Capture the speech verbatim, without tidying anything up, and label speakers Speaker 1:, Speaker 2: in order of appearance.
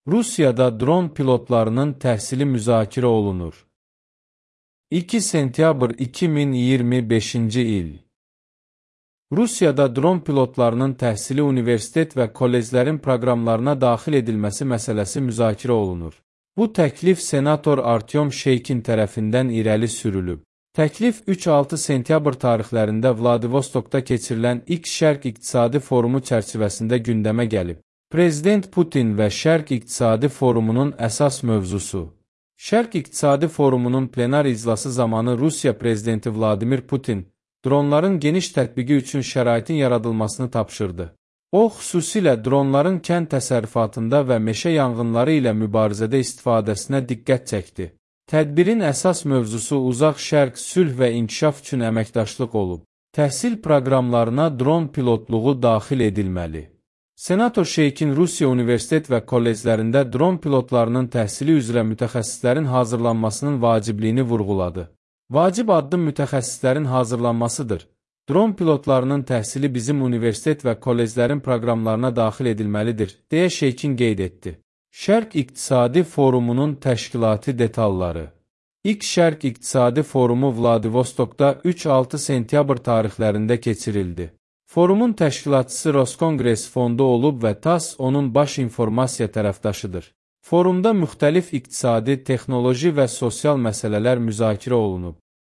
Speaker 1: Rusiyada dron pilotlarının təhsili müzakirə olunur. iki sentyabr iki min iyirmi beşinci il. Rusiyada dron pilotlarının təhsili universitet və kolleclərin proqramlarına daxil edilməsi məsələsi müzakirə olunur. Bu təklif senator Artyom Şeykin tərəfindən irəli sürülüb. Təklif üç altı sentyabr tarixlərində Vladivostokda keçirilən ilk Şərq İqtisadi Forumu çərçivəsində gündəmə gəlib. Prezident Putin və Şərq İqtisadi Forumunun əsas mövzusu. Şərq İqtisadi Forumunun plenar iclası zamanı Rusiya Prezidenti Vladimir Putin, dronların geniş tətbiqi üçün şəraitin yaradılmasını tapşırdı. O, xüsusilə dronların kənd təsərrüfatında və meşə yanğınları ilə mübarizədə istifadəsinə diqqət çəkdi. Tədbirin əsas mövzusu Uzaq Şərq sülh və inkişaf üçün əməkdaşlıq olub. Təhsil proqramlarına dron pilotluğu daxil edilməli. Senator Şeykin Rusiya universitet və kolleclərində dron pilotlarının təhsili üzrə mütəxəssislərin hazırlanmasının vacibliyini vurğuladı. Vacib addım mütəxəssislərin hazırlanmasıdır. Dron pilotlarının təhsili bizim universitet və kolleclərin proqramlarına daxil edilməlidir, deyə Şeykin qeyd etdi. Şərq İqtisadi Forumunun təşkilati detalları. İlk Şərq İqtisadi Forumu Vladivostokda üç altı sentyabr tarixlərində keçirildi. Forumun təşkilatçısı Roskongres fondu olub və TASS onun baş informasiya tərəfdaşıdır. Forumda müxtəlif iqtisadi, texnoloji və sosial məsələlər müzakirə olunub.